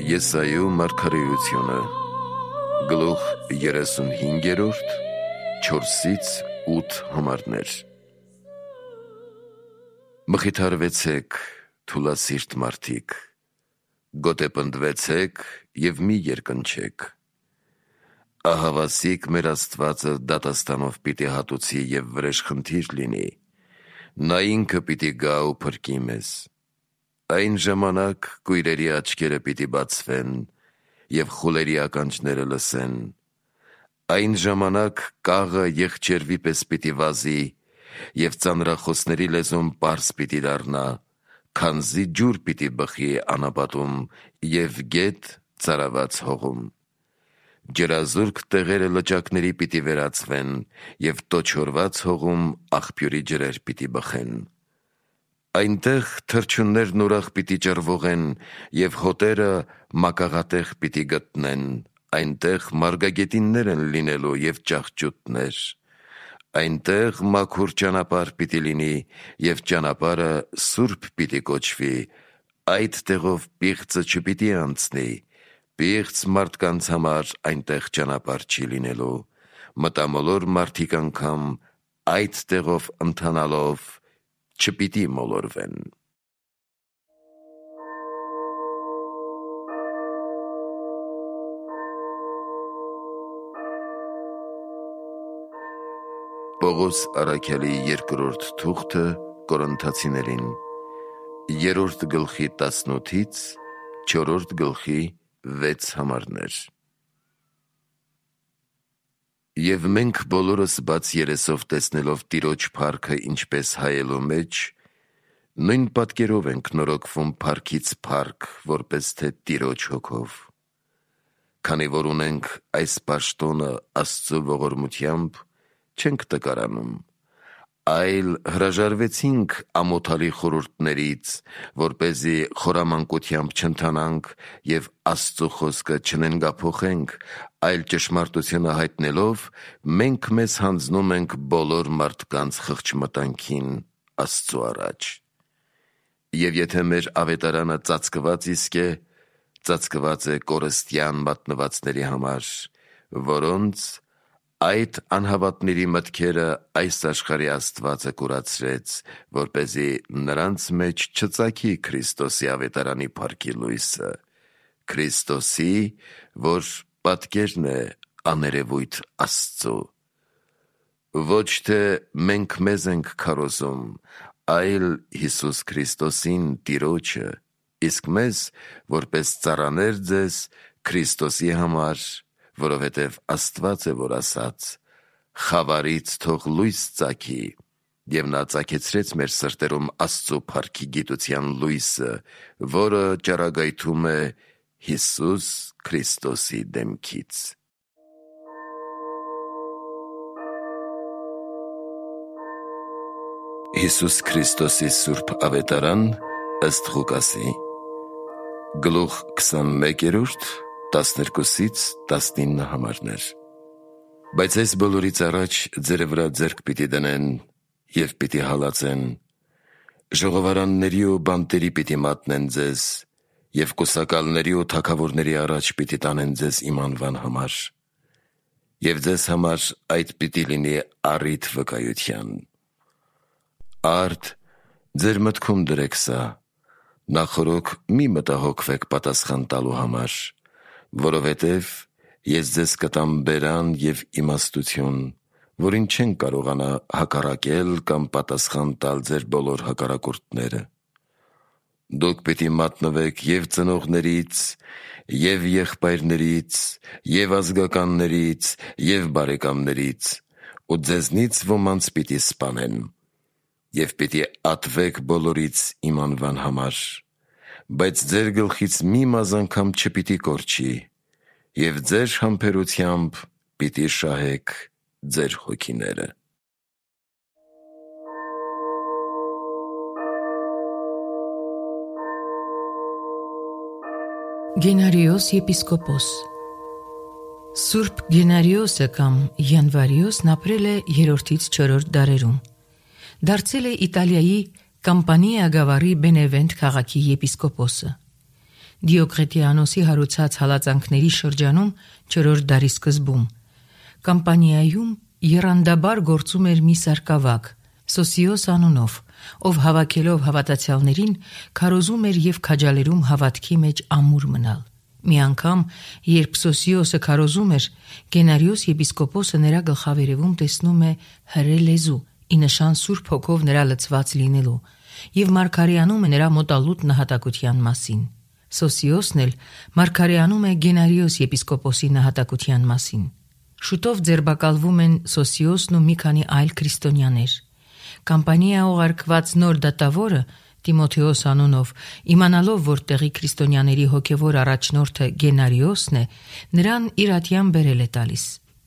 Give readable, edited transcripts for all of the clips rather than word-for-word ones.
Եսայու մարգարեությունը, գլուխ 35, 4-8 համարներ։ Մխիթարվեցեք, թուլասիրտ մարդիկ, գոտեպնդվեցեք և մի երկնչեք։ Ահավասիկ մեր Աստվածը դատաստանով պիտի հատուցի և վրեժխնդիր լինի, նա ինքը պիտի գա ու փրկի մեզ։ Այն ժամանակ կույրերի աչքերը պիտի բացվեն և խուլերի ականջները լսեն։ Այն ժամանակ կաղը եղջերվի պես պիտի վազի և ծանրախոսների լեզուն պարզ պիտի դառնա, քանզի ջուր պիտի բխի անապատում և գետ ծարաված հողում։ Ջրազուրկ տեղերը լճակների պիտի վերածվեն և տոչորված հողում աղբյուրի ջրեր պիտի բխեն։ Այնտեղ թռչուններն ուրախ պիտի ճռվողեն և հոտերը մակաղատեղ պիտի գտնեն, այնտեղ մարգագետիններ են լինելու և ճահճուտներ։ Այնտեղ մաքուր ճանապարհ պիտի լինի և ճանապարհը սուրբ պիտի կոչվի, այդ տեղով պիղծը չպիտի անցնի, պիղծ մարդկանց համար այնտեղ ճանապարհ չի լինելու, մտամոլոր մարդիկ անգամ այդ տեղով ընթանալով չպիտի մոլորվեն։ Պողոս առաքյալի երկրորդ թուղթը Կորինթացիներին, 3 գլխի 18-ից 4 գլխի 6 համարներ։ Եվ մենք բոլորս բաց երեսով տեսնելով Տիրոջ փառքը ինչպես հայելու մեջ, նույն պատկերով ենք նորոգվում փառքից փառք, որպես թե Տիրոջ հոգով։ Քանի որ ունենք այս պաշտոնը Աստծու ողորմությամբ, չենք տկարանում, այլ հրաժարվեցինք ամոթալի խորհուրդներից, որպեսզի խորամանկությամբ չընթանանք և Աստծու խոսքը չնենգափոխենք, այլ ճշմարտությունը հայտնելով, մենք մեզ հանձնում ենք բոլոր մարդկանց խղճմտանքին Աստծու առաջ։ Եվ եթե մեր ավետարանը ծածկված իսկ է, ծածկված է կորստյան մատնվածների համար, որոնց այդ անհավատների մտքերը այս աշխարհի աստվածը կուրացրեց, որպեսզի նրանց մեջ չծագի Քրիստոսի ավետարանի փառքի լույսը, Քրիստոսի, որ պատկերն է աներևույթ Աստծու։ Ոչ թե մենք մեզ ենք քարոզում, այլ Հիսուս Քրիստոսին Տիրոջը, իսկ մեզ որպես ծառաներ ձեզ Քրիստոսի համար, որովհետև Աստված է որ ասաց. «Խավարից թող լույս ծագի», և նա ծագեցրեց մեր սրտերում Աստծու փառքի գիտության լույսը, որը ճառագայթում է Հիսուս Քրիստոսի դեմքից։ Հիսուս Քրիստոսի սուրբ ավետարան ըստ Ղուկասի, գլուխ 21, 12-ից 19 համարներ։ Բայց այս բոլորից առաջ ձերը վրա ձեռք պիտի դնեն և պիտի հալածեն, ժողովարանների ու բանտերի պիտի մատնեն ձեզ և կուսակալների ու թագավորների առաջ պիտի տանեն ձեզ իմ անվան համար, և ձեզ համար այդ պիտի լինի առիթ վկայության։ Արդ ձեր մտքում դրեք սա, նախօրոք մի մտահոգվեք պատասխան տալու համար, որովհետև ես ձեզ կտամ բերան և իմաստություն, որին չեն կարողանա հակառակել կամ պատասխան տալ ձեր բոլոր հակառակորդները։ Դուք պիտի մատնվեք և ծնողներից, և եղբայրներից, և ազգականներից, և բարեկամներից, ու ձեզնից ոմանց պիտի սպանեն, և պիտի ատվեք բոլորից իմ անվան համար, բայց ձեր գլխից մի մազ անգամ չպիտի կորչի, և ձեր համբերությամբ պիտի շահեք ձեր հոգիները։ Գենարիոս եպիսկոպոս Սուրբ Գենարիոսը կամ Յանվարիոսն ապրել է 3-ից 4 դարերում։ Դարձել է Իտալիայի Կամպանիա գավառի Բենևենտ քաղաքի եպիսկոպոսը։ Դիոկլետիանոսի հարուցած հալածանքների շրջանում 4-րդ դարի սկզբում Կամպանիայում եռանդաբար գործում էր մի սարկավակ Սոսիոս անունով, ով հավաքելով հավատացյալներին քարոզում էր եւ քաջալերում հավատքի մեջ ամուր մնալ։ Մի անգամ, երբ Սոսիոսը քարոզում էր, Գենարիոս եպիսկոպոսը նրա գլխավերևում տեսնում է հրե լեզու, ի նշան Սուրբ Հոգով նրա լցված լինելու, եւ մարգարեանում է նրա մոտալուտ նահատակության մասին։ Սոսիոսն էլ մարգարեանում է Գենարիոս եպիսկոպոսի նահատակության մասին։ Շուտով ձերբակալվում են Սոսիոսն ու մի քանի այլ քրիստոնյաներ։ Կամպանիա ուղարկված նոր դատավորը Տիմոթեոս անունով, իմանալով, որ տեղի քրիստոնյաների հոգևոր առաջնորդը Գենարիոսն է, նրան իր ատյան բերել է տալիս։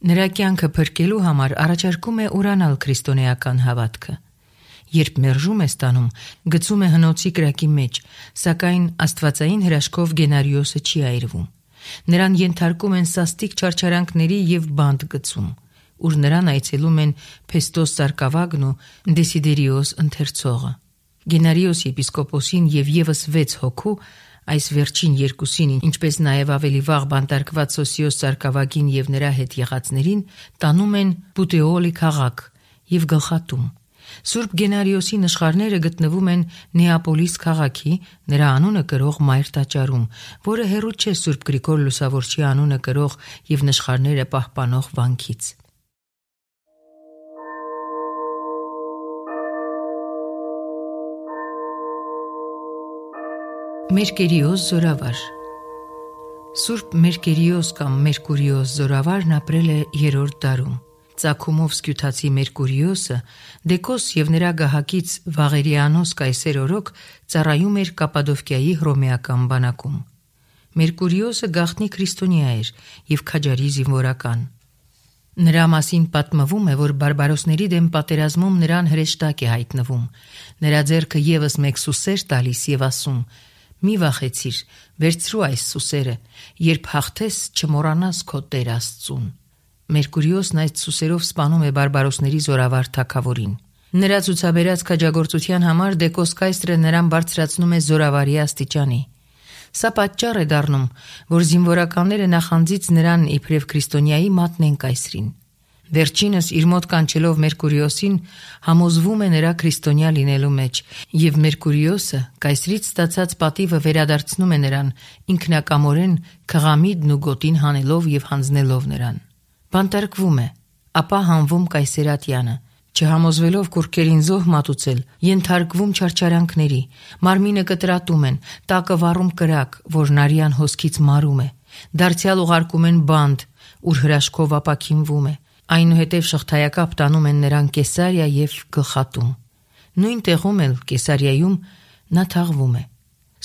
Նրա կյանքը փրկելու համար առաջարկում է ուրանալ քրիստոնեական հավատքը։ Երբ մերժում է ստանում, գցում է հնոցի կրակի մեջ, սակայն աստվածային հրաշքով Գենարիոսը չի այրվում։ Նրան ենթարկում են սաստիկ չարչարանքների եւ բանտ գցում, ուր նրան այցելում են Փեստոս Սարկավագն ու Դեսիդերիոս ընթերցողը։ Գենարիոս եպիսկոպոսին եւ եւս 6 հոգու, այս վերջին երկուսին, ինչպես նաեւ ավելի վաղ բանտարկված Սոսիոս Սարկավագին եւ նրա հետ եղածներին, տանում են Պուտեոլի քաղաք եւ գլխատում։ Սուրբ Գենարիոսի նշխարները գտնվում են Նեապոլիս քաղաքի, նրա անունը կրող մայր տաճարում, որը հեռու չէ Սուրբ Գրիգոր Լուսավորչի անունը կրող եւ նշխարները պահպանող վանքից։ Մերկերիոս զորավար Սուրբ Մերկերիոս կամ Մերկուրիոս զորավարն ապրել է 3-րդ դարում։ Ծագումով սկյութացի Մերկուրիոսը Դեկոս եւ նրա գահակից Վաղերիանոս կայսեր օրոք ծառայում էր Կապադովկիայի հռոմեական բանակում։ Մերկուրիոսը գաղտնի քրիստոնյա էր եւ քաջարի զինվորական։ Նրա մասին պատմվում է, որ բարբարոսների դեմ պատերազմում նրան հրեշտակ է հայտնվում։ Նրա ձեռքը եւս մեկ սուսեր տալիս եւ ասում. «Մի վախեցիր, վերցրու այս սուսերը, երբ հաղթես չմոռանաս քո Տեր Աստծուն»։ Մերկուրիոսն այս սուսերով սպանում է բարբարոսների զորավար թագավորին։ Նրա ցուցաբերած քաջագործության համար Դեկոս կայսրը նրան բարձրացնում է զորավարի աստիճանի։ Սա պատճառ է դառնում, որ զինվորականները նախանձից նրան իբրև քրիստոնյայի մատնեն կայսրին։ Վերջինս իր մոտ կանչելով Մերկուրիոսին համոզվում է նրա քրիստոնյա լինելու մեջ, եւ Մերկուրիոսը կայսրից ստացած պատիվը վերադարձնում է նրան ինքնակամորեն քղամիդն ու գոտին հանելով եւ հանձնելով նրան։ Բանտարկվում է, ապա հանվում կայսերատյանը, չհամոզվելով կուրքերին զոհ մատուցել, ենթարկվում չարչարանքների, մարմինը կտրատում են, տակը վառում կրակ, որ նարյան հոսքից մարում է, դարձյալ ուղարկում են բանտ, ուր հրաշքով ապաքինվում է, այնուհետև շղթայակապ տանում են նրան Կեսարիա եւ գլխատում։ Նույն տեղում էլ Կեսարիայում նա թաղվում է։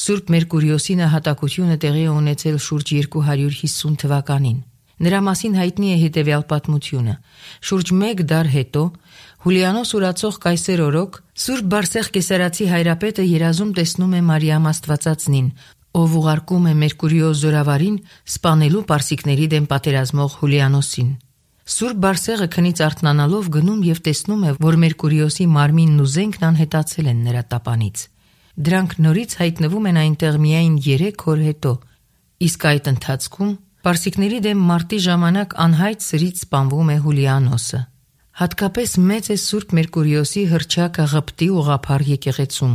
Սուրբ Մերկուրիոսի նահատակությունը տեղի է ունեցել շուրջ 250 թվականին։ Նրա մասին հայտնի է հետևյալ պատմությունը. շուրջ 1 դար հետո Հուլիանոս ուրացող կայսեր օրոք Սուրբ Բարսեղ Կեսարացի հայրապետը երազում տեսնում է Մարիամ Աստվածածնին, ով ուղարկում է Մերկուրիոս զորավարին սպանելու պարսիկների դեմ պատերազմող Հուլիանոսին։ Սուրբ Բարսեղը քնից արթնանալով գնում եւ տեսնում է, որ Մերկուրիոսի մարմինն ու զենքն անհետացել են նրա տապանից։ Դրանք նորից հայտնվում են այնտեղ միայն 3 օր հետո, իսկ այդ ընթացքում պարսիկների դեմ մարտի ժամանակ անհայտ սրից սպանվում է Հուլիանոսը։ Հատկապես մեծ է Սուրբ Մերկուրիոսի հռչակը Ղպտի ուղղափառ եկեղեցում,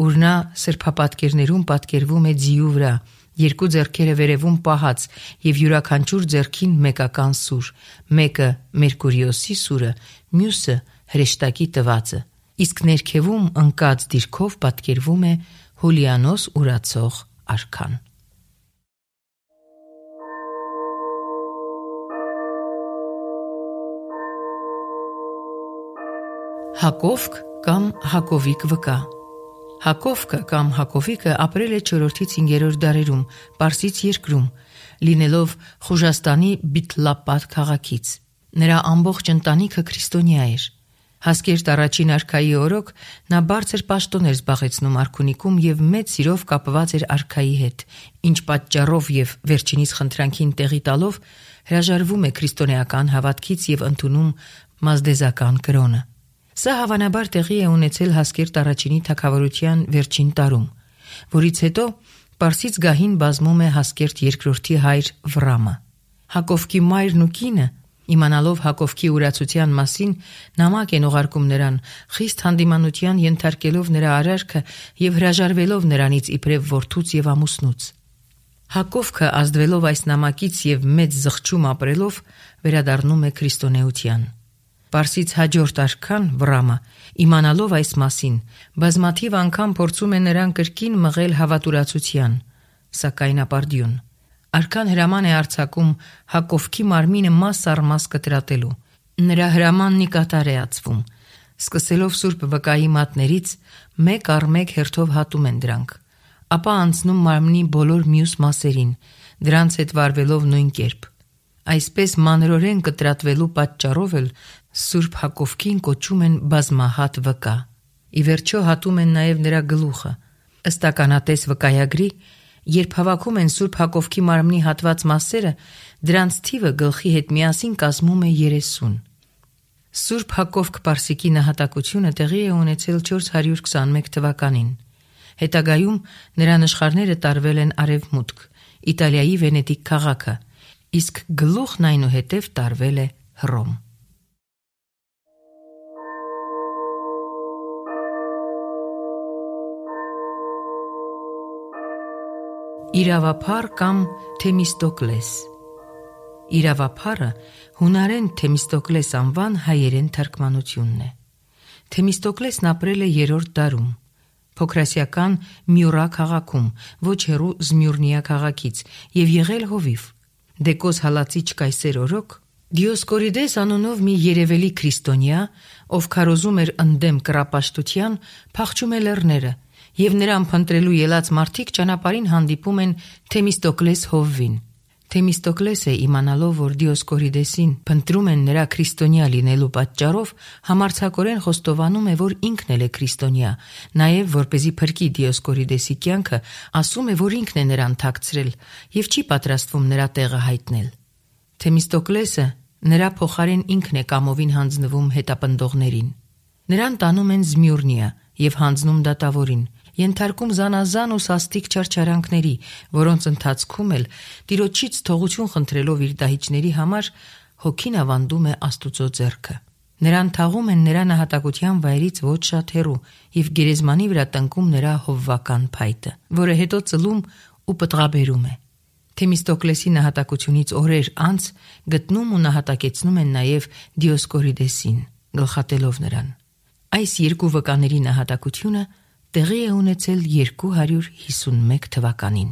ուր նա սրբապատկերներում պատկերվում է ձիու վրա, 2 ձեռքերը վերևում պահած եւ յուրաքանչյուր ձեռքին մեկական սուր, մեկը Մերկուրիոսի սուրը, մյուսը հրեշտակի տվածը, իսկ ներքևում ընկած դիրքով պատկերվում է Հուլիանոս ուրացող արքան։ Հակովք կամ Հակովիկ վկա։ Հակովքը կամ Հակովիկը ապրել է 4-ից 5-րդ դարերում Պարսից երկրում, լինելով Խուժաստանի Բիթլապատ քաղաքից։ Նրա ամբողջ ընտանիքը քրիստոնյա էր։ Հասկերտ առաջին արքայի օրոք նա բարձր պաշտոն էր զբաղեցնում արքունիքում եւ մեծ սիրով կապված էր արքայի հետ, ինչ պատճառով եւ վերջինիս խնդրանքին տեղի տալով հրաժարվում է քրիստոնեական հավատքից եւ ընդունում մազդեզական կրոնը։ Սա հավանաբար տեղի է ունեցել Հասկերտ առաջինի թագավորության վերջին տարում, որից հետո Պարսից գահին բազմում է Հասկերտ երկրորդի հայր Վրամը։ Հակովկի մայրն ու կինը, իմանալով Հակովկի ուրացության մասին, նամակ են ուղարկում նրան, խիստ հանդիմանության ենթարկելով նրա արարքը եւ հրաժարվելով նրանից իբրև որդուց եւ ամուսնուց։ Հակովքը ազդվելով այս նամակից եւ մեծ զղջում ապրելով վերադառնում է քրիստոնեության։ Պարսից հաջորդ արքան Վրամը, իմանալով այս մասին, բազմաթիվ անգամ փորձում է նրան կրկին մղել հավատուրացության, սակայն ապարդյուն։ Արքան հրաման է արձակում Հակովկի մարմինը մաս առ մաս կտրատելու։ Նրա հրամանն ի կատար է ածվում։ Սկսելով Սուրբ վկայի մատներից մեկ առ մեկ հերթով հատում են դրանք, ապա անցնում մարմնի բոլոր մյուս մասերին, դրանց հետ վարվելով նույն կերպ։ Այսպես մանրորեն կտրատվելու պատճառով էլ Սուրբ Հակովկին կոչում են բազմահատ վկա։ Ի վերջո հատում են նաև նրա գլուխը։ Ըստ ականատես վկայագրի, երբ հավաքում են Սուրբ Հակովկի մարմնի հատված մասերը, դրանց թիվը գլխի հետ միասին կազմում է 30։ Սուրբ Հակովկ Պարսիկի նահատակությունը տեղի է ունեցել 421 թվականին։ Հետագայում նրա նշխարները տարվել են արևմուտք, Իտալիայի Վենետիկ քաղաքը, իսկ գլուխն այնուհետև տարվել է Հռոմ։ Իրավապար կամ Թեմիստոկլես։ Իրավապարը հունարեն Թեմիստոկլես անվան հայերեն թարգմանությունն է։ Թեմիստոկլեսն ապրել է 3-րդ դարում, փոքրասիական Մյուրա քաղաքում, ոչ հեռու Զմյուրնիա քաղաքից, եւ եղել հովիվ։ Դեկոս հալածիչ կայսեր օրոք Դիոսկորիդես անունով մի երևելի քրիստոնյա, ով քարոզում էր ընդդեմ կռապաշտության, փախչում է լեռները, եւ նրան փնտրելու ելած մարդիկ ճանապարհին հանդիպում են Թեմիստոկլես հովվին։ Թեմիստոկլեսը, իմանալով, որ Դիոսկորիդեսին փնտրում են նրա քրիստոնյա լինելու պատճառով, համարձակորեն խոստովանում է, որ ինքն էլ է քրիստոնյա, նաև որպեսզի փրկի Դիոսկորիդեսի կյանքը, ասում է, որ ինքն է նրան թաքցրել եւ չի պատրաստվում նրա տեղը հայտնել։ Թեմիստոկլեսը նրա փոխարեն ինքն է կամովին հանձնվում հետապնդողներին։ Նրան տանում են Զմյուրնիա եւ հանձնում դատավորին, ենթարկում զանազան ու սաստիկ չարչարանքների, որոնց ընթացքում էլ Տիրոջից թողություն խնդրելով իր դահիճների համար հոգին ավանդում է Աստուծո ձեռքը։ Նրան թաղում են նրա նահատակության վայրից ոչ շատ հեռու եւ գերեզմանի վրա տնկում նրա հովվական փայտը, որը հետո ծլում ու պտղաբերում է։ Թեմիստոկլեսի նահատակությունից օրեր անց գտնում ու նահատակեցնում են նաև Դիոսկորիդեսին, գլխատելով նրան։ Այս երկու վկաների նահատակությունը տեղի է ունեցել 251 թվականին։